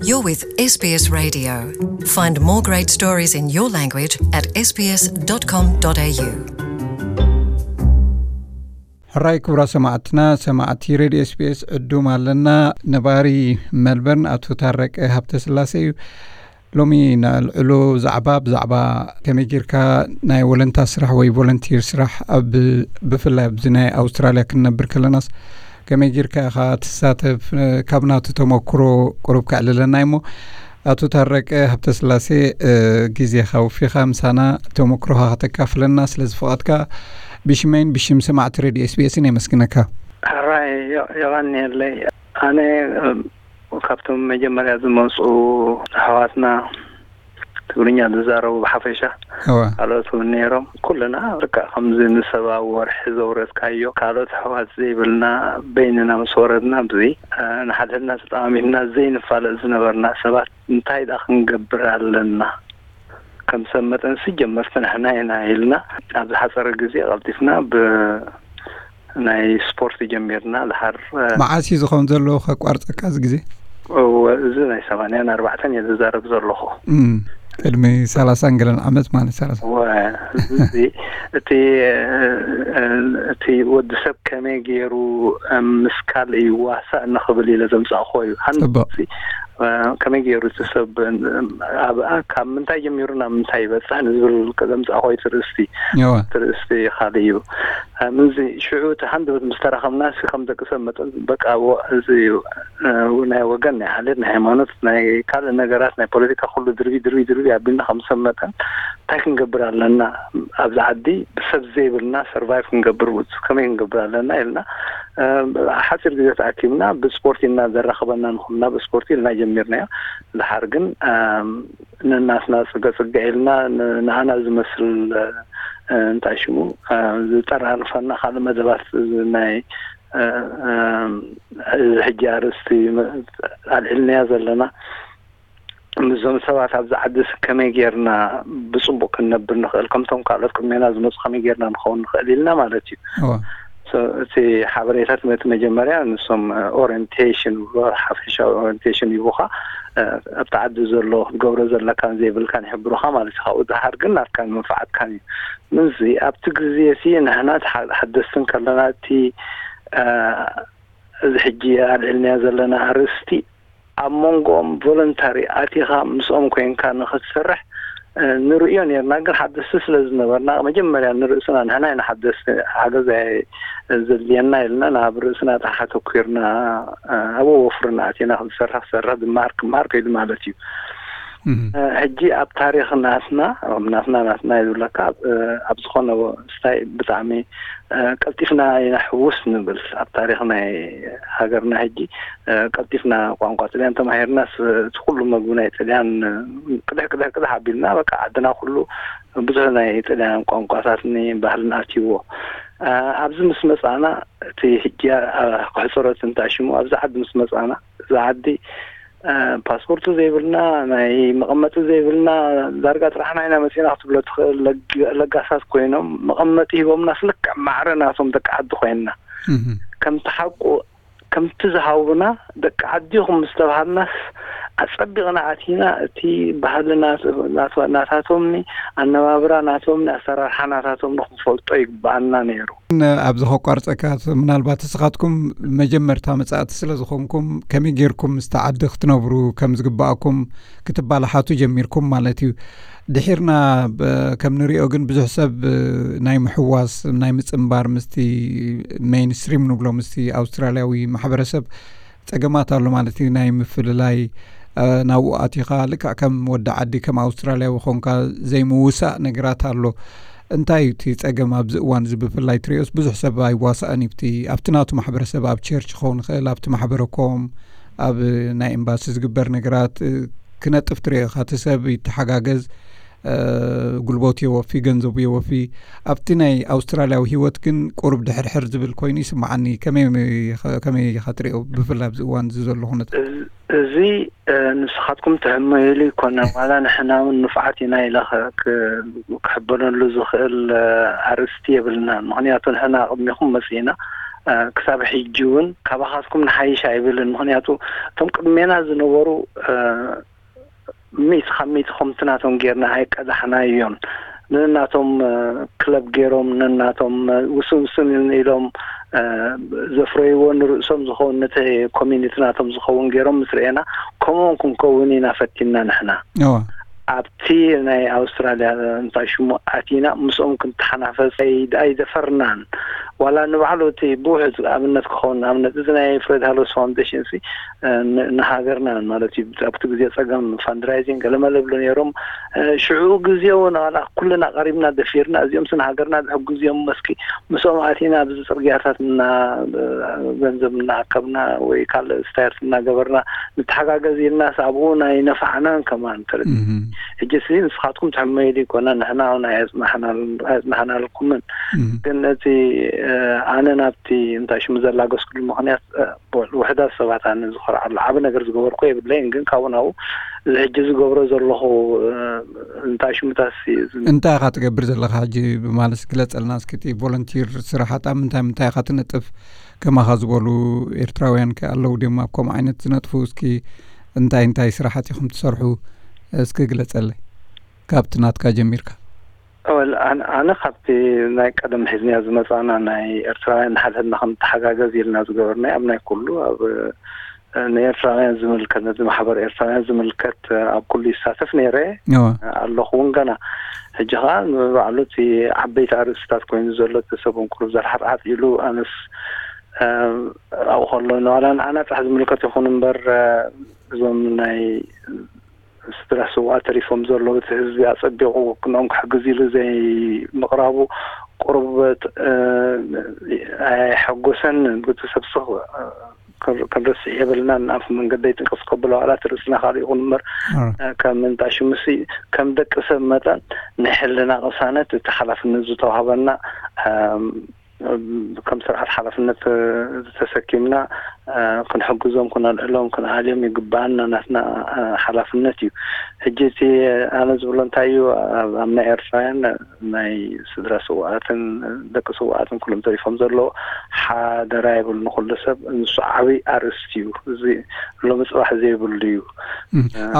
You're with S B S Radio. Find more great stories in your language at S B S dot com dot A U. ሕራይ ክቡራ ሰማዕትና፣ ሰማዕቲ ሬድዮ S B S ዕዱም ኣለና። ነባሪ መልበርን ኣቶ ታረቀ ሃብተስላሴ እዩ። ሎሚ ነልዕሎ ዛዕባ ብዛዕባ ከመይ ጌርካ ናይ ወለንታ ስራሕ ወይ ቮለንቲር ስራሕ ኣብ፣ ብፍላይ ኣብዚ ናይ ኣውስትራልያ ክንነብር ከለናስ ከመይ ጌርካ ኢኻ ትሳተፍ፣ ካብ ናቱ ተመክሮ ቁሩብ ከዕልለና እሞ፣ ኣቶ ታረቀ ሃብተስላሴ፣ እ፣ ግዜኻ ወፊኻ ምሳና ተመክሮኻ ከተካፍለና ስለ ዝፈቐድካ ብሽመይን ብሽም ሰማዕቲ ሬድዮ S B S ን የመስግነካ። ሕራይ የ-፣ የቐንየለይ። ኣነ፣ እ፣ ካብቶም መጀመርያ ዝመጹ ኣሕዋትና ትግርኛ ዝዛረቡ ብሓፈሻ እወ። ካልኦት እውን ነይሮም። ኩልና በቃ ከምዚ ንሰብ ኣብ ወርሒ ዘውረድካዮ ካልኦት ኣሕዋት ዘይብልና በይንና ምስ ወረድና ኣብዚ፣ እ፣ ንሓድሕድና ተጠማሚትና ዘይንፋለጥ ዝነበርና ሰባት እንታይ ደኣ ክንገብር ኣለና? ከም ሰብ መጠንሲ ጀመርቲ ንሕና ኢና ኢልና ኣብ ዝሓጸረ ግዜ ቀልጢፍና ብ-፣ ናይ ስፖርት ጀሚርና። ድሓር፣ እ፣ መዓስ እዩ ዝኸውን ዘሎ ከቋርጸካ እዚ ግዜ? እወ፣ እዚ ናይ ሰማንያን ኣርባዕተን እየ ዝዛረብ ዘለኹ። እም፣ ቅድሚ ሰላሳን ገለን ዓመት ማለት ሰላሳ። እወ፣ እዚ እቲ፣ እ፣ እ፣ እቲ ወዲ ሰብ ከመይ ገይሩ፣ እ፣ ምስ ካልእ ይዋሳእ ንኽብል ኢለ ዘምጻእኹዎ እዩ። ጽቡቕ። ሃንሲ፣ እ፣ ከመይ ገይሩ እቲ ሰብ፣ እ፣ ኣብ፣ ካብ ምንታይ ጀሚሩ ናብ ምንታይ ይበጽሕ ንዝብል ዘምጻእኹዎ እዩ ትርእስቲ። እወ። ትርእስቲ ካልእ እዩ። እ፣ ምዚ ሽዑ እቲ ሃንደበት ምስ ተራኸብና ሲ ከም ደቂ ሰብ መጠን በቃ ወ-፣ እዚ እዩ፣ እ፣ ናይ ወገን፣ ናይ ዓሌት፣ ናይ ሃይማኖት፣ ናይ ካልእ ነገራት፣ ናይ ፖለቲካ ኩሉ ድርቢ፣ ድርቢ፣ ድርቢ ኣቢልና ከም ሰብ መጠን እንታይ ክንገብር ኣለና? ኣብዚ ዓዲ ብሰብ ዘይብልና ሰርቫይቭ ክንገብር ውፅ ከመይ ክንገብር ኣለና ኢልና፣ እ፣ ሓፂር ግዜ ተኣኪብና ብስፖርት ኢና ዘራኽበና ንኹልና ብስፖርት ኢልና ጀሚርናዮ። ድሓር ግን፣ እ፣ ነናትና ጽገ ጽገ ኢልና ን-፣ ንኣና ዝመስል፣ እ፣ እንታይ ሽሙ፣ እ፣ ዝጠራርፈና ካልእ መደባት ናይ፣ እ፣ እ፣ እዚ ሕጂ ኣርእስቲ መ-፣ ኣልዒልናያ ዘለና ምስዞም ሰባት ኣብዚ ዓዲ ስ-፣ ከመይ ጌርና ብጽቡቕ ክንነብር ንኽእል፣ ከምቶም ካልኦት ቅድሜና ዝመጹ ከመይ ጌርና ንኸውን ንኽእል ኢልና ማለት እዩ። እወ። So፣ እቲ ሓበሬታ ትምህርቲ መጀመርያ ንሶም፣ እ፣ ኦሪየንቴሽን ይብሉኻ፣ ሓፈሻዊ ኦሪየንቴሽን ይቡኻ፣ እ፣ ኣብቲ ዓዲ ዘሎ ክትገብሮ ዘለካን ዘይብልካን ይሕብሩኻ ማለት እዩ። ካብኡ ዝሓር ግን ናትካን መንፋዓትካን እዩ። ምዚ ኣብቲ ግዜ እቲ ንሕና ተሓ-፣ ሓደስቲ እንከለና እቲ፣ እ፣ እዚ ሕጂ ኣልዒልናዮ ዘለና ኣርእስቲ ኣብ መንጎኦም ቮለንታሪ ኣቲኻ ምስኦም ኮይንካ ንኽትሰርሕ፣ እ፣ ንርእዮ ኔርና፣ ግን ሓደስቲ ስለ ዝነበርና መጀመርያ ንርእስና ንሕና ኢና ሓደስቲ ሓገዝ ኣይ-፣ ዘድልየና ኢልና ናብ ርእስና ጥራሕ ኣተኲርና፣ እ፣ ኣብኡ ወፍርና ኣቲና ክንሰርሕ ክሰርሕ ዝመሃር ክመሃር ከይዱ ማለት እዩ። እም። እ፣ ሕጂ ኣብ ታሪኽ ናትና፣ ናትና፣ ናትና እዩ ዝብለካ፣ ኣብ፣ እ፣ ኣብ ዝኾነ ስታይ ብጣዕሚ፣ እ፣ ቀልጢፍና ኢና ሕውስ ንብል። ኣብ ታሪኽ ናይ ሃገርና ሕጂ፣ እ፣ ቀልጢፍና ቋንቋ ጥልያን ተማሂርናስ፣ እቲ ኩሉ መግቢ ናይ ጥልያን፣ እ፣ ቅድሕ፣ ቅድሕ፣ ቅድሕ ኣቢልና፣ በቃ ዓድና ኩሉ ብዙሕ ናይ ጥልያን ቋንቋታትን ባህልን ኣትይዎ። እ፣ ኣብዚ ምስ መጻና፣ እቲ ሕጂ፣ እ፣ ክሕጽሮ እቲ እንታይ ሽሙ፣ ኣብዚ ዓዲ ምስ መጻና፣ እዚ ዓዲ፣ እ፣ ፓስፖርት ዘይብልና፣ ናይ መቐመጢ ዘይብልና፣ ዳርጋ ጥራሕና ኢና መጺና ክትብሎ ትኽእል። ለግ-፣ ለጋሳት ኮይኖም መቐመጢ ሂቦምናስ ልክዕ ማዕረ ናቶም ደቂ ዓዲ ኮይንና። እህ። ከምቲ ሓቁ፣ ከምቲ ዝሃቡና ደቂ ዓዲ ኢኹም ምስ ተባሃልናስ ኣጸቢቕና ኣቲና፣ እቲ ባህሊ ናት-፣ ናት-፣ ናታቶምኒ፣ ኣነባብራ ናቶምኒ፣ ኣሰራርሓ ናታቶምኒ ክንፈልጦ ይግብኣና ነይሩ። ኣብዚ ከቋርጸካ፣ ምናልባት ንስኻትኩም መጀመርታ መጻእቲ ስለ ዝኾንኩም፣ ከመይ ጌርኩም ምስቲ ዓዲ ክትነብሩ ከም ዝግብኣኩም ክትባላሓቱ ጀሚርኩም ማለት እዩ። ድሒርና፣ ብ-፣ ከም ንሪኦ ግን ብዙሕ ሰብ፣ እ፣ ናይ ምሕዋስ፣ ናይ ምጽንባር ምስቲ ሜይንስትሪም ንብሎ፣ ምስቲ ኣውስትራልያዊ ማሕበረሰብ ጸገማት ኣሎ ማለት እዩ። ናይ ምፍልላይ፣ እ፣ ናብኡ ኣቲኻ ልክዕ ከም ወዲ ዓዲ፣ ከም ኣውስትራልያዊ ኾንካ ዘይምውሳእ ነገራት ኣሎ። እንታይ እዩ እቲ ጸገም ኣብዚ እዋን እዚ? ብፍላይ ትሪኦስ ብዙሕ ሰብ ኣይዋሳእን እዩ። ኣብቲ፣ ኣብቲ ናቱ ማሕበረሰብ፣ ኣብ ቸርች ክኸውን ይኽእል፣ ኣብቲ ማሕበረ ኮም፣ ኣብ ናይ ኤምባሲ ዝግበር ነገራት፣ እ፣ ክነጥፍ ትሪኦ ኢኻ። እቲ ሰብ ይተሓጋገዝ፣ እ፣ ጉልበቱ የወፊ፣ ገንዘቡ የወፊ። ኣብቲ ናይ ኣውስትራልያዊ ህይወት ግን ቁሩብ ድሕርሕር ዝብል ኮይኑ ይስምዓኒ። ከመይ፣ ከመይ ኢኻ ትሪኦ? ብፍላይ ኣብዚ እዋን እዚ ዘሎ ኩነታት። እዚ፣ እ፣ ንስኻትኩም ትሕመዩሉ ይኮነን፣ ዋላ ንሕና እውን ንፉዓት ኢና ኢለ ኸ-፣ ክ-፣ ክሕበነሉ ዝኽእል፣ እ፣ ኣርእስቲ የብልናን። ምኽንያቱ ንሕና ቅድሚኹም መጺእና፣ ክሳብ ሕጂ እውን ካባኻትኩም ንሓይሽ ኣይብልን። ምኽንያቱ እቶም ቅድሜና ዝነበሩ ሚእቲ ካብ ሚእቲ ከምቲ ናቶም ጌርና ኣይቀዳሕናዮን። ነናቶም ክለብ ገይሮም፣ ነናቶም ውስን ውስን ኢሎም ዘፍረይዎ ንርእሶም ዝኸውን፣ ነቲ ኮሚኒቲ ናቶም ዝኸውን ገይሮም ምስ ርኤና፣ ከምኦም ክንከውን ኢና ፈቲና ንሕና። ኣብቲ ናይ ኣውስትራልያ እንታይ ሽሙ ኣቲና ምስኦም ክንተሓናፈስ ኣይደፈርናን። ዋላ ንባዕሉ እቲ ብውሕድ ኣብነት ክኸውን፣ ኣብነት እዚ ናይ ፍሬድ ሃሎስ ፋውንዴሽን ንሃገርና ማለት እዩ። ኣብቲ ግዜ ጸገም ፋንድራይዚንግ ገለመለ ብሎ ነይሮም። ሽዑ ግዜ እውን ዋላ ኩልና ቀሪብና ደፊርና፣ እዚኦም ስን ሃገርና ድሕጉ ግዜም መስኪ ምስኦም ኣቲና ኣብዚ ጽርግያታት እና ገንዘብ እናኣከብና ወይ ካልእ ስታይርት እናገበርና ንተሓጋገዝ ኢልናስ ኣብኡ ናይ ነፋዕናን ከማን ተረዲ። ሕጂ ሲ ንስኻትኩም ትሕመይሉ ይኮና፣ ንሕና እውን ኣየጽናሕናልኩምን። ግን እቲ ኣነ ናብቲ እንታይ ሽሙ ዘላገስኩሉ ምኽንያት ውሕዳት ሰባት ኣነ ዝኮርዓሉ ዓብ ነገር ዝገበርኩ የብለይን። ግን ካብኡ ናብኡ እዚ ሕጂ ዝገብሮ ዘለኹ እንታይ ሽሙታት እንታይ ኢኻ ትገብር ዘለኻ ሕጂ ብማለት ግለጸልና እስኪ። እቲ ቮለንቲር ስራሓት ኣብ ምንታይ ምንታይ ኢኻ ትነጥፍ? ከማኻ ዝበሉ ኤርትራውያን ከ ኣለዉ ድዮም ኣብ ከምኡ ዓይነት ዝነጥፉ? እስኪ እንታይ እንታይ ስራሓት ኢኹም ትሰርሑ? እስኪ ግለጸለይ ካብቲ ናትካ ጀሚርካ። ኣነ ካብቲ ናይ ቀደም ሒዝንያ ዝመጻና ናይ ኤርትራውያን ንሓድሕድና ከም ተሓጋገዝ ኢልና ዝገበርና ኣብ ናይ ኩሉ ኣብ ንኤርትራውያን ዝምልከት፣ ነዚ ማሕበር ኤርትራውያን ዝምልከት ኣብ ኩሉ ይሳተፍ ነይረ ኣለኹ እውን ገና። ሕጂ ኸዓ ንባዕሉ እቲ ዓበይቲ ኣርእስታት ኮይኑ ዘሎ እቲ ሰብ እንኩሉ ዘርሓጥሓጥ ኢሉ ኣነስ ኣብኡ ከሎ ንዋላ ንዓና ጥራሕ ዝምልከት ይኹን እምበር እዞም ናይ ስድራ ስውኣት ተሪፎም ዘለዉ እቲ ህዝቢ ኣጸቢቑ ክንኦም ክሕግዝ ኢሉ ዘይምቕራቡ ቁርበት ኣየሐጎሰንን። እቲ ሰብ ስኽ ክንርስዕ የብልናን። ኣብ መንገደይ ጥንቅስ ከብሎ ዋላ እቲ ርእስና ካልእ ይኹን እምበር ከም እንታ ሽምሲ ከም ደቂ ሰብ መጠን ናይ ሕልና ቅሳነት እቲ ሓላፍነት ዝተዋህበና ከም ስርዓት ሓላፍነት ዝተሰኪምና ክንሕግዞም፣ ክነልዕሎም፣ ክንኣልዮም ይግብኣና፣ ናትና ሓላፍነት እዩ። ሕጂ እቲ ኣነ ዝብሎ እንታይ እዩ፣ ኣብ ናይ ኤርትራውያን ናይ ስድራ ስውኣትን ደቂ ስውኣትን ኩሎም ተሪፎም ዘለዉ ሓደራ ይብል ንኩሉ ሰብ። ንሱ ዓብይ ኣርእስቲ እዩ። እዚ ሎሚ ጽባሕ ዘይብሉ እዩ።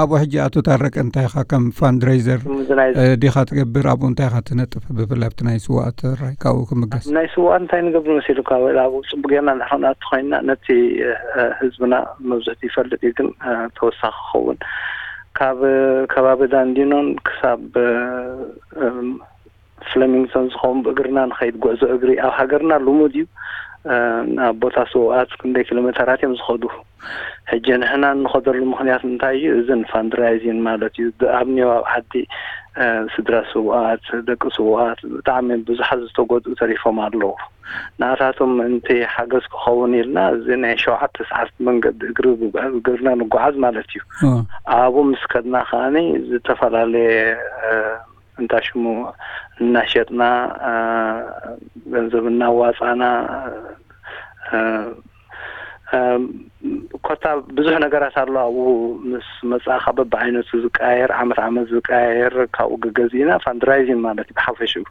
ኣብኡ ሕጂ ኣቶ ታረቀ እንታይ ኢኻ ከም ፋንድሬዘር ዲኻ ትገብር? ኣብኡ እንታይ ኢኻ ትነጥፍ? ብፍላይ ኣብቲ ናይ ስውኣት ራይ ካብኡ ክምገስ ናይ ስውኣት እንታይ ንገብር መሲሉ ካብ ኣብኡ ጽቡቅ ጌርና ንሕና ተኮይንና ነቲ ህዝብና መብዝሕቲ ይፈልጥ እዩ። ግን ተወሳኺ ክኸውን ካብ ከባቢ ዳንዲኖን ክሳብ ፍለሚንግቶን ዝኸውን ብእግርና ንኸይድ ጉዕዞ እግሪ ኣብ ሃገርና ልሙድ እዩ። ናብ ቦታ ስውኣት ክንደይ ኪሎ ሜተራት እዮም ዝኸዱ። ሕጂ ንሕና እንኸደሉ ምኽንያት እንታይ እዩ? እዝን ፋንድራይዚን ማለት እዩ። ኣብ ኒው ኣብ ዓዲ ስድራ ስውኣት፣ ደቂ ስውኣት ብጣዕሚ ብዙሓት ዝተጎድኡ ተሪፎም ኣለዉ። ንኣታቶም ምእንቲ ሓገዝ ክኸውን ኢልና እዚ ናይ ሸውዓተ ሰዓት መንገዲ እግሪ እግርና ንጓዓዝ ማለት እዩ። ኣብኡ ምስ ከድና ከዓኒ ዝተፈላለየ እንታ ሽሙ እናሸጥና ገንዘብ እናዋፃና ኮታ ብዙሕ ነገራት ኣሎ። ኣብኡ ምስ መፃእካ በብዓይነቱ ዝቀያየር ዓመት ዓመት ዝቀያየር ካብኡ ገገዚእና ፋንድራይዚን ማለት እዩ። ብሓፈሽኡ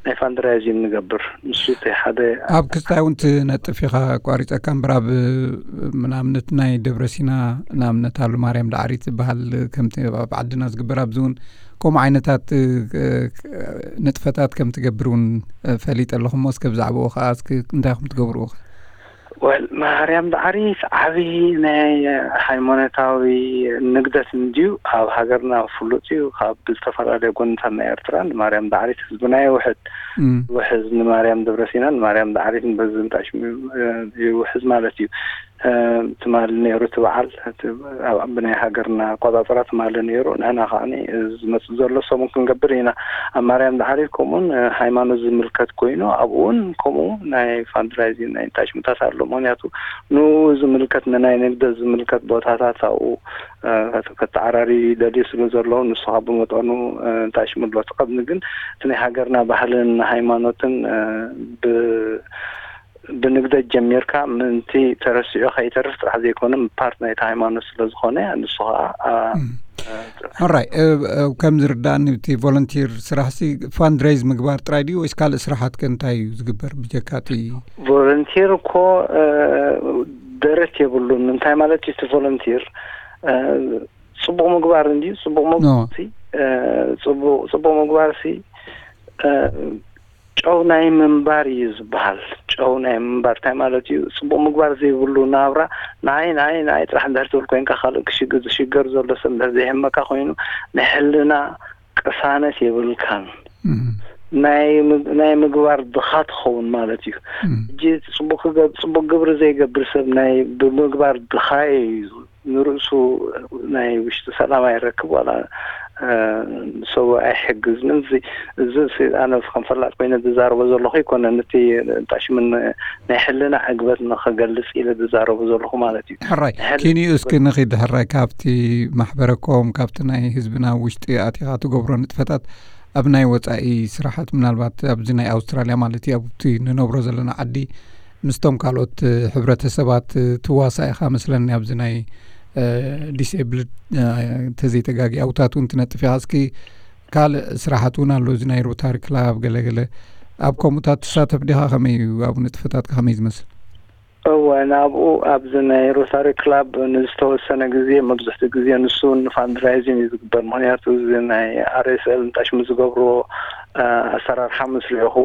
ናይ ፋንድራይዚን ንገብር። ንሱ እቲ ሓደ ኣብ ክስታይ እውን ትነጥፍ ኢኻ ኣቋሪፀካ እምበር ኣብ ምናምነት ናይ ደብረሲና ንኣብነት ኣሉ ማርያም ዳዕሪት ዝበሃል ከምቲ ኣብ ዓድና ዝግበር ኣብዚ እውን ከምኡ ዓይነታት ንጥፈታት ከም ትገብር እውን ፈሊጠ ኣለኹ። እሞ እስከ ብዛዕባኡ ከዓ እስኪ እንታይ ከም ትገብርኡ ከ? ወል ማርያም ዳዕሪት ዓብዪ ናይ ሃይማኖታዊ ንግደት እንድዩ ኣብ ሃገርና ፍሉጥ እዩ። ካብ ዝተፈላለዩ ጎንታት ናይ ኤርትራ ንማርያም ዳዕሪት ህዝብና ይውሕድ። ውሕዝ ንማርያም ደብረሲና ንማርያም ዳዕሪት ንበዝምጣሽ ይውሕዝ ማለት እዩ። ትማል ነይሩ እቲ በዓል ብናይ ሃገርና ኣቆፃፅራ ትማሊ ነይሩ። ንሕና ከዓ ዝመፅእ ዘሎ ሰሙን ክንገብር ኢና። ኣብ ማርያም ዳዕሪት ከምኡውን ሃይማኖት ዝምልከት ኮይኑ ኣብኡውን ከምኡ ናይ ፋንድራይዚንግ ናይ እንታይ ሽምታት ኣሎ። ምክንያቱ ንኡ ዝምልከት ንናይ ንግደ ዝምልከት ቦታታት ኣብኡ ከተዓራሪ ደልዩ ስለ ዘለዉ ንሱ ካብ ብመጠኑ እንታይ ሽሙ ኣሎ። ትቐድሚ ግን እቲ ናይ ሃገርና ባህልን ሃይማኖትን ብ ብንግደት ጀሚርካ ምእንቲ ተረሲዑ ከይተርፍ ጥራሕ ዘይኮነ ፓርት ናይቲ ሃይማኖት ስለ ዝኾነ ንሱ ከዓ ሕራይ፣ እ፣ እ፣ ከም ዝርዳእኒ እቲ ቮለንቲር ስራሕሲ ፋንድሬዝ ምግባር ጥራይ ድዩ ወይስ ካልእ ስራሓት ከ እንታይ እዩ ዝግበር ብጀካ እቲ? ቮለንቲር እኮ፣ እ፣ ደረት የብሉን። እንታይ ማለት እዩ እቲ ቮለንቲር? እ፣ ጽቡቕ ምግባር እንድዩ። ጽቡቕ ኖ። ምግባር ሲ፣ እ፣ ጽቡቕ፣ ጽቡቕ ምግባር ሲ፣ እ፣ ጨው ናይ ምንባር እዩ ዝበሃል። ጨው ናይ ምንባር እንታይ ማለት እዩ? ጽቡቕ ምግባር ዘይብሉ ናብራ፣ ንዓይ፣ ንዓይ፣ ንዓይ ጥራሕ እንድሕር ትብል ኮይንካ፣ ካልእ ክሽግ-፣ ዝሽገር ዘሎ ሰብ እንድሕር ዘይሕመካ ኮይኑ፣ ናይ ሕልና ቅሳነት የብልካን። እም። ናይ ምግ-፣ ናይ ምግባር ድኻ ትኸውን ማለት እዩ። እም። ሕጂ ጽቡቕ ክገብ-፣ ጽቡቕ ግብሪ ዘይገብር ሰብ ናይ ብምግባር ድኻ እዩ። ንርእሱ ናይ ውሽጢ ሰላም ኣይረክብ፣ ዋላ፣ እ፣ ንሰቡ ኣይሕግዝን። እዚ፣ እዚ ሲ-፣ ኣነ ከም ፈላጥ ኮይነ ዝዛረቦ ዘለኹ ኣይኮነን። እቲ ጣሽምን ናይ ሕልና ዕግበት ንኸገልጽ ኢለ ዝዛረቦ ዘለኹ ማለት እዩ። ሕራይ፣ ናይ ሕልና ኪንኡ እስኪ ዕግበት ንኺድ ሕራይ፣ ካብቲ ማሕበረኮም፣ ካብቲ ናይ ህዝብና ውሽጢ ኣቲኻ ትገብሮ ንጥፈታት ኣብ ናይ ወጻኢ ስራሓት፣ ምናልባት ኣብዚ ናይ ኣውስትራልያ ማለት እዩ፣ ኣብቲ ንነብሮ ዘለና ዓዲ ምስቶም ካልኦት ሕብረተሰባት ትዋሳእ ኢኻ መስለኒ፣ ኣብዚ ናይ፣ እ፣ ዲስኤብልድ፣ እ፣ እንተዘይተጋጊ ኣውታት እውን ትነጥፍ ኢኻ። እስኪ ካልእ ስራሓት እውን ኣሎ፣ እዚ ናይ ሮታሪ ክላብ ገለገለ። ኣብ ከምኡታት ትሳተፍ ዲኻ? ከመይ እዩ ኣብኡ ንጥፈታትካ ከመይ ዝመስል? እወ፣ ናብኡ ኣብዚ ናይ ሮታሪ ክላብ ንዝተወሰነ ግዜ፣ መብዝሕትኡ ግዜ ንሱ ንፋንድራይዚንግ እዩ ዝግበር። ምኽንያቱ እዚ ናይ ኣር ኤስ ኤል እንታይ ሽሙ ዝገብርዎ፣ እ፣ ኣሰራርሓ ምስ ርኢኹ፣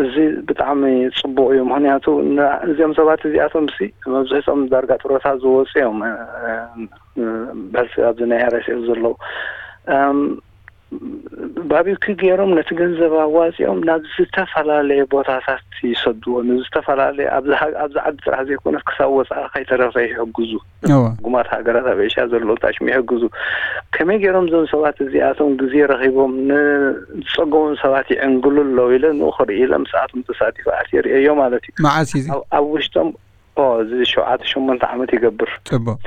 እዚ ብጣዕሚ ጽቡቕ እዩ። ምኽንያቱ ን-፣ እዚኦም ሰባት እዚኣቶም ሲ መብዝሕቶም ዳርጋ ጥሮታ ዝወጹ እዮም፣ እ፣ እ፣ በዚ ኣብዚ ናይ ኣር ኤስ ኤል ዘለዉ። እም፣ ባቢኪ ገይሮም ነቲ ገንዘብ ኣዋጺኦም ናብ ዝተፈላለየ ቦታታት ይሰድዎ። ንዝተፈላለየ፣ ኣብዚ ሃ-፣ ኣብዚ ዓዲ ጥራሕ ዘይኮነስ ክሳብ ወጻኢ ከይተረፈ ይሕግዙ። እወ። ጉማት ሃገራት ኣብ ኤሽያ ዘለዉ ታሽም ይሕግዙ። ከመይ ገይሮም እዞም ሰባት እዚኣቶም ግዜ ረኺቦም ንዝጸገሞም ሰባት ይዕንግሉ ኣለዉ ኢለ ንኡ ክርኢ ኢለ ምስኣቶም ተሳቲፈ ኣትየ ርእየዮ ማለት እዩ። መዓስ እዩ እዚ? ኣብ፣ ኣብ ውሽጦም ኦ፣ እዚ ሸውዓተ ሸሞንተ ዓመት ይገብር። ጽቡቕ።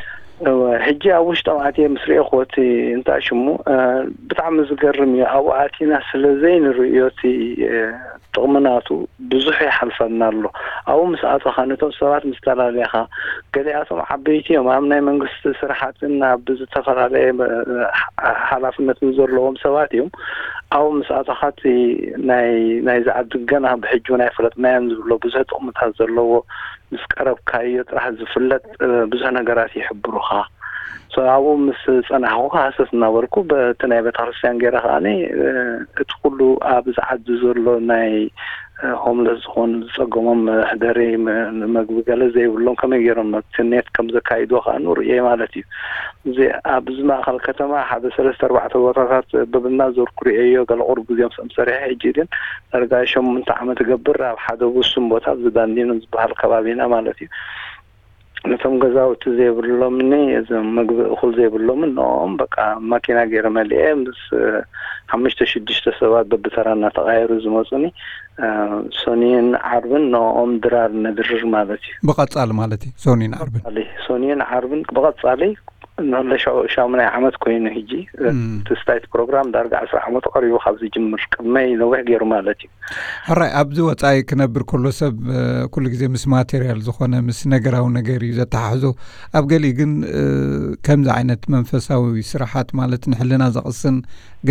እወ፣ ሕጂ ኣብ ውሽጦም ኣትየ ምስ ርኤኹዎ እቲ እንታይ ሽሙ፣ እ፣ ብጣዕሚ ዝገርም እዩ። ኣብኡ ኣቲና ስለ ዘይንርእዮ እቲ፣ እ፣ ጥቕሚ ናቱ ብዙሕ ይሓልፈና ኣሎ። ኣብኡ ምስ ኣቶኻ ነቶም ሰባት ምስ ተላለኻ፣ ገሊኣቶም ዓበይቲ እዮም፣ ኣብ ናይ መንግስቲ ስራሓትን ኣብ ዝተፈላለየ፣ እ፣ ሓ-፣ ሓላፍነትን ዘለዎም ሰባት እዮም። ኣብኡ ምስ ኣቶኻ እቲ ናይ፣ ናይዚ ዓዲ ገና ብሕጂ እውን ኣይፈለጥናዮን ዝብሎ ብዙሕ ጥቕምታት ዘለዎ ምስ ቀረብካዮ ጥራሕ ዝፍለጥ፣ እ፣ ብዙሕ ነገራት ይሕብሩኻ። ሶ ኣብኡ ምስ ጸናሕኩ ሃሰስ እናበልኩ በቲ ናይ ቤተክርስትያን ገይረ ከኣኒ፣ እ፣ እቲ ኩሉ ኣብዚ ዓዲ ዘሎ ናይ፣ እ፣ ሆምለስ ዝኾኑ ዝጸገሞም መሕደሪ፣ መ-፣ መግቢ ገለ ዘይብሎም ከመይ ገይሮም ነቲ ኔት ከም ዘካይድዎ ከኣ ንርእየ ማለት እዩ። እዚ ኣብዚ ማእከል ከተማ ሓደ ሰለስተ ኣርባዕተ ቦታታት በብና ዞርኩ ርእየዮ፣ ገለ ቁሩብ ግዜ ምስኦም ሰሪሐ፣ ሕጂ ግን ዳርጋ ሸሞንተ ዓመት እገብር ኣብ ሓደ ውሱን ቦታ ኣብዚ ዳንዲኖ ዝበሃል ከባቢና ማለት እዩ። ነቶም ገዛውቲ ዘይብሎምኒ፣ እዞም መግቢ እኹል ዘይብሎምን ንኦም በቃ ማኪና ገይረ መሊኤ ምስ፣ እ፣ ሓሙሽተ ሽዱሽተ ሰባት በብተራ እናተቐያየሩ ዝመጹኒ፣ እ፣ ሶኒን ዓርብን ንኦም ድራር ነድርር ማለት እዩ። ብቐጻሊ ማለት እዩ፣ ሶኒን ዓርብን? ብቐጻሊ፣ ሶኒን ዓርብን ብቐጻሊ ንለ ሻ-፣ ሻሙናይ ዓመት ኮይኑ ሕጂ፣ እ፣ እም። እቲ ስታይት ፕሮግራም ዳርጋ ዕስራ ዓመት ቀሪቡ ካብ ዝጅምር፣ ቅድመይ ነዊሕ ገይሩ ማለት እዩ። ሕራይ፣ ኣብዚ ወጻኢ ክነብር ከሎ ሰብ፣ እ፣ ኩሉ ግዜ ምስ ማቴርያል ዝኾነ፣ ምስ ነገራዊ ነገር እዩ ዘተሓሕዞ። ኣብ ገሊኡ ግን፣ እ፣ ከምዚ ዓይነት መንፈሳዊ ስራሓት፣ ማለት ንሕልና ዘቕስን፣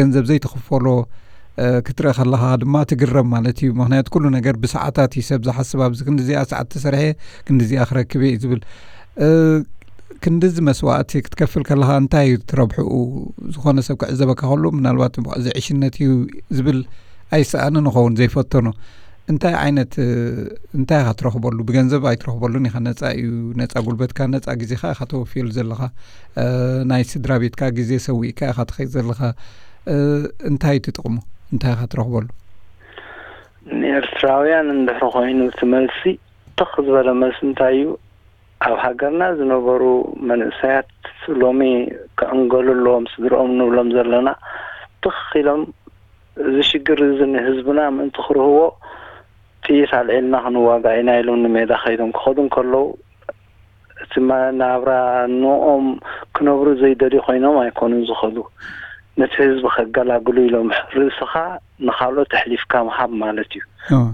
ገንዘብ ዘይትኽፈሎ፣ እ፣ ክትርኢ ከለኻ ድማ ትግረም ማለት እዩ። ምኽንያቱ ኩሉ ነገር ብሰዓታት እዩ ሰብ ዝሓስብ። ኣብዚ ክንዲዚኣ ሰዓት ተሰሪሐ ክንዲዚኣ ክረክብ እየ እዩ ዝብል። እ፣ ክንድዚ መስዋእቲ ክትከፍል ከለኻ እንታይ እዩ ትረብሕኡ? ዝኾነ ሰብ ክዕዘበካ ከሎ ምናልባት እዚ ዕሽነት እዩ ዝብል ኣይሰኣንን ይኸውን ዘይፈተኖ። እንታይ ዓይነት፣ እ፣ እንታይ ኢኻ ትረኽበሉ? ብገንዘብ ኣይትረኽበሉን ኢኻ። ነጻ እዩ፣ ነጻ ጉልበትካ፣ ነጻ ግዜኻ ኢኻ ተወፍየሉ ዘለኻ። እ፣ ናይ ስድራ ቤትካ ግዜ ሰዊእካ ኢኻ ትኸይድ ዘለኻ። እ፣ እንታይ እዩ እቲ ጥቕሙ? እንታይ ኢኻ ትረኽበሉ? ንኤርትራውያን እንድሕሪ ኮይኑ እቲ መልሲ፣ ትኽ ዝበለ መልሲ እንታይ እዩ? ኣብ ሃገርና ዝነበሩ መንእሰያት ሎሚ ክዕንገሉ ኣለዎም፣ ስድርኦም ንብሎም ዘለና። ትኽ ኢሎም እዚ ሽግር እዚ ንህዝብና ምእንቲ ክርህዎ ጥይት ኣልዒልና ክንዋጋእ ኢና ኢሎም ንሜዳ ከይዶም ክኸዱ እንከለዉ፣ እቲ መ-፣ ናብራ ንኦም ክነብሩ ዘይደልዩ ኮይኖም ኣይኮኑን ዝኸዱ። ነቲ ህዝቢ ከገላግሉ ኢሎም ርእስኻ ንኻልኦት ኣሕሊፍካ ምሃብ ማለት እዩ። እወ።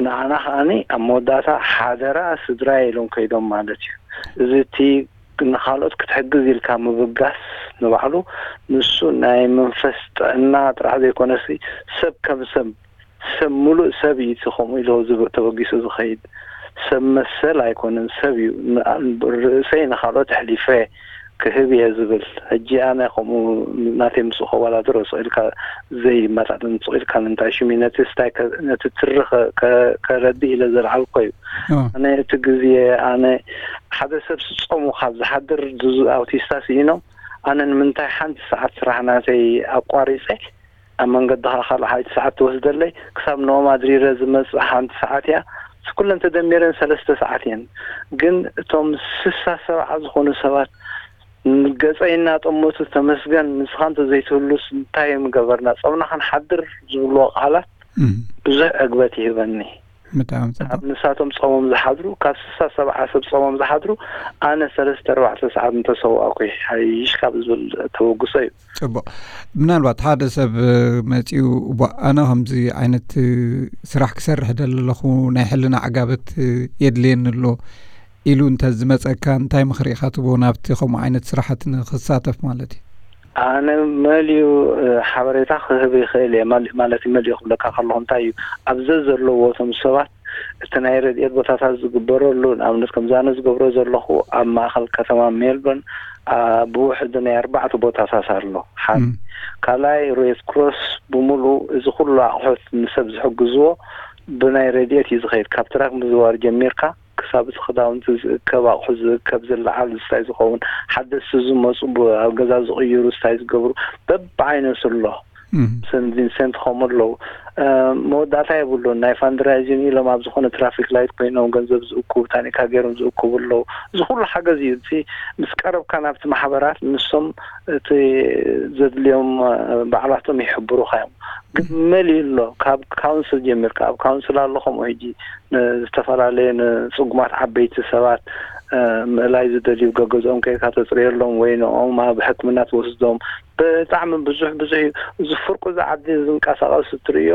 ንዓና ከኣኒ ኣብ መወዳእታ ሓደራ ስድራይ ኢሎም ከይዶም ማለት እዩ። እዚ እቲ ንኻልኦት ክትሕግዝ ኢልካ ምብጋስ ንባዕሉ ንሱ ናይ መንፈስ ጥዕና ጥራሕ ዘይኮነሲ ሰብ ከም ሰብ ሰብ ምሉእ ሰብ እዩ እቲ ከምኡ ኢሉ ዝብ- ተበጊሱ ዝኸይድ ሰብ መሰል ኣይኮነን ሰብ እዩ። ን- ርእሰይ ንኻልኦት ኣሕሊፈ ክህብ እየ ዝብል። ሕጂ ኣነ ከምኡ ናተይ ምስኡ ከወዳድሮ ስቕ ኢልካ ዘይመጣጥን ስቕ ኢልካ ምንታይ ሽሚ ነቲ ስታይ ከ- ነቲ ትሪ ከ- ከ- ከረድእ ኢለ ዘልዓልኮ እዩ። ኣነ እቲ ግዜ ኣነ ሓደ ሰብ ስጾሙ ካብ ዝሓድር ኣውቲስታ ስኢኖም ኣነ ንምንታይ ሓንቲ ሰዓት ስራሕ ናተይ ኣቋሪፀ ኣብ መንገዲ ከዓ ካልእ ሓንቲ ሰዓት ትወስደለይ ክሳብ ንኦም ኣድሪረ ዝመፅእ ሓንቲ ሰዓት እያ። ኩለን ተደሚረን ሰለስተ ሰዓት እየን። ግን እቶም ስሳ ሰብዓ ዝኾኑ ሰባት ገፀይ እናጠመቱ ተመስገን ንስኻ እንተዘይትህሉስ እንታይ ምገበርና ፆምና ክንሓድር ዝብልዎ ቃላት ብዙሕ ዕግበት ይህበኒ። ብጣዕሚ ካብ ንሳቶም ፆሞም ዝሓድሩ ካብ ስሳ ሰብዓ ሰብ ፆሞም ዝሓድሩ ኣነ ሰለስተ ኣርባዕተ ሰዓት እንተሰዋእኩ ይሓይሽ ካብ ዝብል ተበግሶ እዩ። ፅቡቕ። ምናልባት ሓደ ሰብ መፂኡ እባ ኣነ ከምዚ ዓይነት ስራሕ ክሰርሕ ደሊ ኣለኹ ናይ ሕልና ዕጋበት የድልየኒ ኣሎ ኢሉ እንተ ዝመፀካ እንታይ ምኽሪ ኢኻ ትቦ ናብቲ ከምኡ ዓይነት ስራሓት ንክሳተፍ ማለት እዩ? ኣነ መሊኡ ሓበሬታ ክህብ ይኽእል እየ። ማለት መሊኡ ክብለካ ከለኹ እንታይ እዩ ኣብዘ ዘለዎቶም ሰባት እቲ ናይ ረድኤት ቦታታት ዝግበረሉ ንኣብነት ከምዚ ኣነ ዝገብሮ ዘለኹ ኣብ ማእኸል ከተማ ሜልበርን ብውሕዱ ናይ ኣርባዕተ ቦታታት ኣሎ። ሓደ ካልኣይ ሬድ ክሮስ ብምሉእ እዚ ኩሉ ኣቑሑት ንሰብ ዝሕግዝዎ ብናይ ረድኤት እዩ ዝኸይድ። ካብ ትራክ ምዝዋር ጀሚርካ ክሳብ እቲ ክዳውንቲ ዝእከብ ኣቑሑ ዝእከብ ዝለዓል ዝስታይ ዝኸውን ሓደስቲ ዝመፁ ኣብ ገዛ ዝቕይሩ ዝስታይ ዝገብሩ በብዓይነቱ ኣሎ። ሰንት ቪንሰንት ከምኡ ኣለዉ። መወዳእታ የብሉን። ናይ ፋንድራይዚን ኢሎም ኣብ ዝኾነ ትራፊክ ላይት ኮይኖም ገንዘብ ዝእኩቡ ታኒካ ገይሮም ዝእኩቡ ኣለዉ። እዚ ኩሉ ሓገዝ እዩ። እቲ ምስ ቀረብካ ናብቲ ማሕበራት ንሶም እቲ ዘድልዮም ባዕላቶም ይሕብሩካ እዮም። ግን መሊኡ ኣሎ። ካብ ካውንስል ጀሚርካ ኣብ ካውንስል ኣሎ ከምኡ ሕጂ ዝተፈላለየ ንፅጉማት ዓበይቲ ሰባት ምእላይ ዝደልዩ ገገዝኦም ከይካ ተፅርየሎም ወይ ንኦም ኣብ ሕክምና ትወስዶም ብጣዕሚ ብዙሕ ብዙሕ እዩ። እዚ ፍርቁ ዝዓዲ ዝንቀሳቐስ እትርእዮ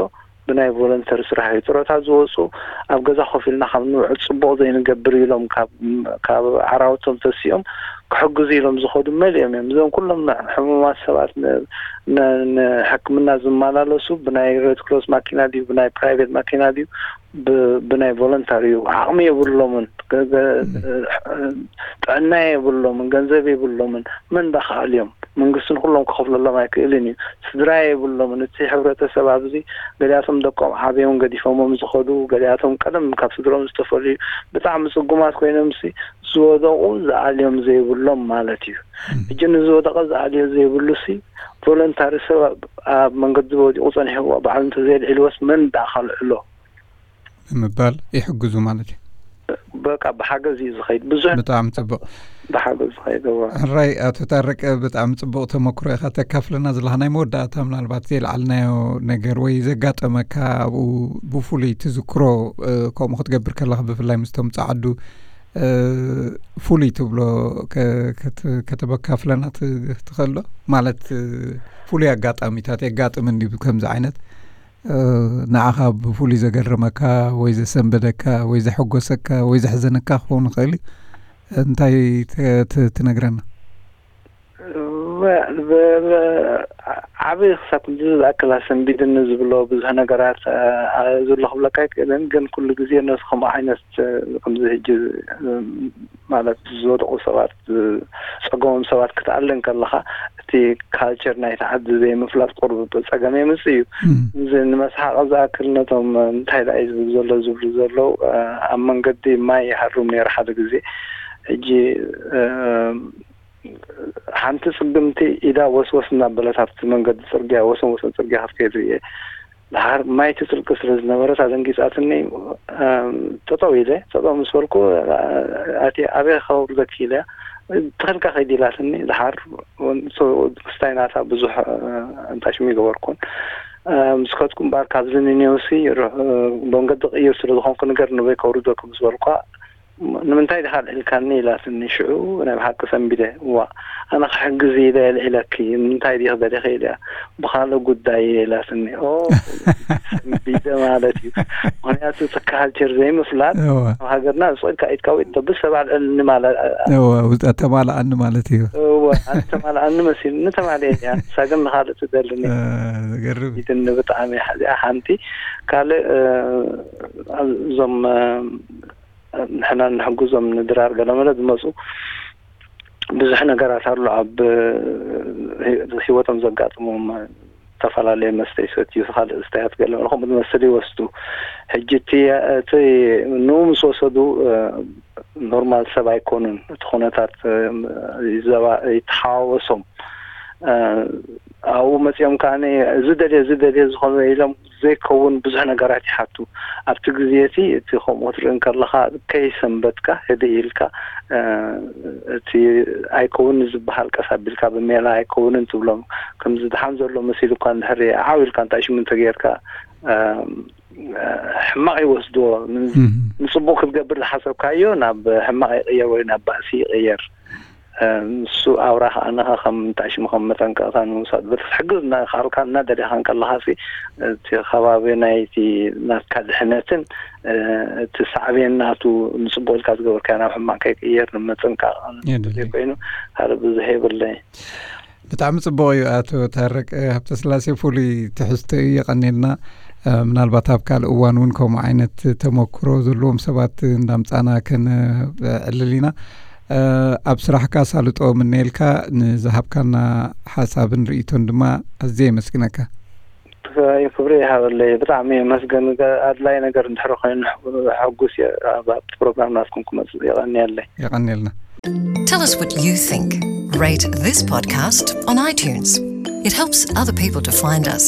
ብናይ ቮለንተሪ ስራሕ እዩ። ጥሮታ ዝወፁ ኣብ ገዛ ኮፍ ኢልና ካብ ንውዕል ፅቡቕ ዘይንገብር ኢሎም ካብ ዓራውቶም ተሲኦም ክሕግዙ ኢሎም ዝኸዱ መሊኦም እዮም። እዞም ኩሎም ሕሙማት ሰባት ንሕክምና ዝመላለሱ ብናይ ሬድ ክሮስ ማኪና ድዩ ብናይ ፕራይቬት ማኪና ድዩ ብናይ ቮለንታሪ እዩ። ዓቕሚ የብሎምን፣ ጥዕና የብሎምን፣ ገንዘብ የብሎምን። መን ዳኸኣል እዮም? መንግስትን ኩሎም ክኸፍለሎም ኣይክእልን እዩ። ስድራ የብሎምን። እቲ ሕብረተሰብ ኣብዚ ገሊኣቶም ደቆም ዓብዮም ገዲፎሞም ዝኸዱ፣ ገሊኣቶም ቀደም ካብ ስድሮም ዝተፈልዩ ብጣዕሚ ፅጉማት ኮይኖም ሲ ዝወደቑ ዝኣልዮም ዘይብሎም ማለት እዩ። ሕጂ ንዝወደቐ ዝኣልዮ ዘይብሉ ሲ ቮለንታሪ ሰብ ኣብ መንገዲ ወዲቑ ፀኒሕዎ ባዕሉ እንተዘየልዒልዎስ መን ዳኣ ከልዕሎ? ብምባል ይሕግዙ ማለት እዩ። በቃ ብሓገዝ እዩ ዝኸይድ። ብዙሕ ብጣዕሚ ፅቡቕ ብሓገዝ ዝኸይድ። ሕራይ ኣቶ ታረቀ ብጣዕሚ ፅቡቕ ተመክሮ ኢኻ ተካፍለና ዘለኻ። ናይ መወዳእታ ምናልባት ዘይለዓልናዮ ነገር ወይ ዘጋጠመካ ኣብኡ ብፍሉይ ትዝክሮ ከምኡ ክትገብር ከለኻ ብፍላይ ምስቶም ፃዓዱ ፍሉይ ትብሎ ከተበካፍለና ትኽእል ዶ? ማለት ፍሉይ ኣጋጣሚታት የጋጥም እንዲ ከምዚ ዓይነት ንዓኻ ብፍሉይ ዘገረመካ ወይ ዘሰንበደካ ወይ ዘሐጎሰካ ወይ ዘሕዘነካ ክኸውን ይኽእል እዩ። እንታይ ትነግረና? ዓብ ክሳብ ክንዚ ዝኣክል ኣሰንቢድኒ ዝብሎ ብዙሕ ነገራት ዘሎ ክብለካ ኣይክእልን። ግን ኩሉ ግዜ ነዚ ከምኡ ዓይነት ከምዚ ሕጂ ማለት ዝወደቑ ሰባት ዝፀገሞም ሰባት ክትኣልን ከለኻ እቲ ካልቸር ናይቲ ዓዲ ዘይምፍላጥ ቁሩብ ፀገም የምፅእ እዩ። እዚ ንመስሓቂ ዝኣክል ነቶም እንታይ ደኣ እዩ ዝብል ዘሎ ዝብሉ ዘለዉ ኣብ መንገዲ ማይ ይሃርም ነይሩ ሓደ ግዜ። ሕጂ ሓንቲ ፅግምቲ ኢዳ ወስወስ እናበለት ኣብቲ መንገዲ ፅርግያ ወሰን ወሰን ፅርግያ ክትከይድ ርእየ። ድሓር ማይ ትፅልቂ ስለ ዝነበረት ኣደንጊፃትኒ። ጠጠው ኢለ ጠጠው ምስ በልኩ ኣቲ ኣበይ ከውርደኪ ኢለ ትኽልካ ከይድ ኢላትኒ። ድሓር ክስታይ ናታ ብዙሕ እንታሽም ይገበርኩን ምስ ከድኩ እምበኣር ካብዚ ንኔውሲ መንገዲ ቅይር ስለ ዝኾንኩ ንገር ንበይ ከውርደኩ ምስ በልኳ "ንምንታይ ዲኻ ኣልዒልካኒ?" ኢላትኒ። ሽዑ ናይ ብሓቂ ሰንቢደ። "እዋ፣ ኣነ ክሕግዝ ኢለ ኣልዒለኪ፣ ንምንታይ ዲኺ ደሊኺ?" ኢለ። "ብኻልእ ጉዳይ እየ" ኢላትኒ። "ኦ፣ ሰንቢደ" ማለት እዩ። ምኽንያቱ እቲ ካልቸር ዘይምፍላጥ፣ እዋ። ኣብ ሃገርና ስቕ ኢልካ ኢድካ ወይ ተብስ ሰብ ኣልዕልኒ ማለት፣ እዋ፣ ውፅኣት ተማልኣኒ ማለት እዩ። እዋ፣ ኣነ ተማልኣኒ መሲሉኒ ተማልየ እያ። ንሳ ግን ንኻልእ ትደልኒ። እ፣ ዝገርም እዩ። ኢድኒ ብጣዕሚ እያ። እዚኣ ሓንቲ። ካልእ፣ እ፣ እዞም፣ እ፣ ንሕና እንሕግዞም ንድራር ገለመለ ዝመፁ ብዙሕ ነገራት ኣሎ ኣብ፣ እ፣ ህይወቶም ዘጋጥሞም፣ ዝተፈላለየ መስተ ይሰትዩ፣ ካልእ ስታያት ገለ ከምኡ ዝመስል ይወስዱ። ሕጂ እቲ፣ እቲ ንኡ ምስ ወሰዱ፣ እ፣ ኖርማል ሰብ ኣይኮኑን። እቲ ኩነታት፣ እ፣ ይዘባ-፣ ይተሓዋወሶም። እ፣ ኣብኡ መፂኦም ከኣ እዚ ደልየ፣ እዚ ደልየ ዝኾነ ኢሎም ዘይከውን ብዙሕ ነገራት ይሓቱ። ኣብቲ ግዜ እቲ፣ እቲ ከምኡ ክትርኢ እንከለኻ ከይሰንበድካ ህድእ ኢልካ፣ እ፣ እቲ ኣይከውን ዝበሃል ቀስ ኣቢልካ ብሜላ ኣይከውንን ትብሎም። ከምዚ ደሓን ዘሎ መሲሉ እኳ እንድሕር ዓው ኢልካ እንታይ ሽሙ እንተጌርካ፣ እ፣ ሕማቕ ይወስድዎ። ን-፣ እም። ንጽቡቕ ክትገብር ዝሓሰብካዮ ናብ ሕማቕ ይቕየር ወይ ናብ ባእሲ ይቕየር። እ፣ ንሱ ኣውራ ከኣነኸ ከም እንታይ ሽሙ ከም መጠንቀቕታ ንምውሳድ በቲ ክትሕግዝ እናኸኣልካ እናደሊኻ እንከለኻሲ፣ እቲ ከባቢ ናይቲ ናትካ ድሕነትን፣ እ፣ እቲ ሳዕቤን ናቱ ንጽቡቕ ኢልካ ዝገበርካዮ ናብ ሕማቕ ከይቅየር ንምጥንቃቕ የድሊ። ዘይኮይኑ ካልእ ብዙሕ የብለይ። ብጣዕሚ ጽቡቕ እዩ ኣቶ ታረቅ ሃብተስላሴ፣ ፍሉይ ትሕዝቶ እዩ። የቐንየልና። እ፣ ምናልባት ኣብ ካልእ እዋን እውን ከምኡ ዓይነት ተመክሮ ዘለዎም ሰባት እንዳምጻና ከነዕልል ኢና። እ፣ ኣብ ስራሕካ ሳልጦ ምነየልካ፣ ንዝሃብካና ሓሳብን ርእይቶን ድማ ኣዝየ የመስግነካ። ክብሪ ይሃበለይ። ብጣዕሚ የመስገን። ኣድላይ ነገር እንድሕር ኮይኑ ሕጉስ እየ ኣብ፣ ኣብቲ ፕሮግራም ናትኩም ክመጽእ። የቐንየለይ። የቐንየልና። Tell us what you think. Rate this podcast on iTunes. It helps other people to find us.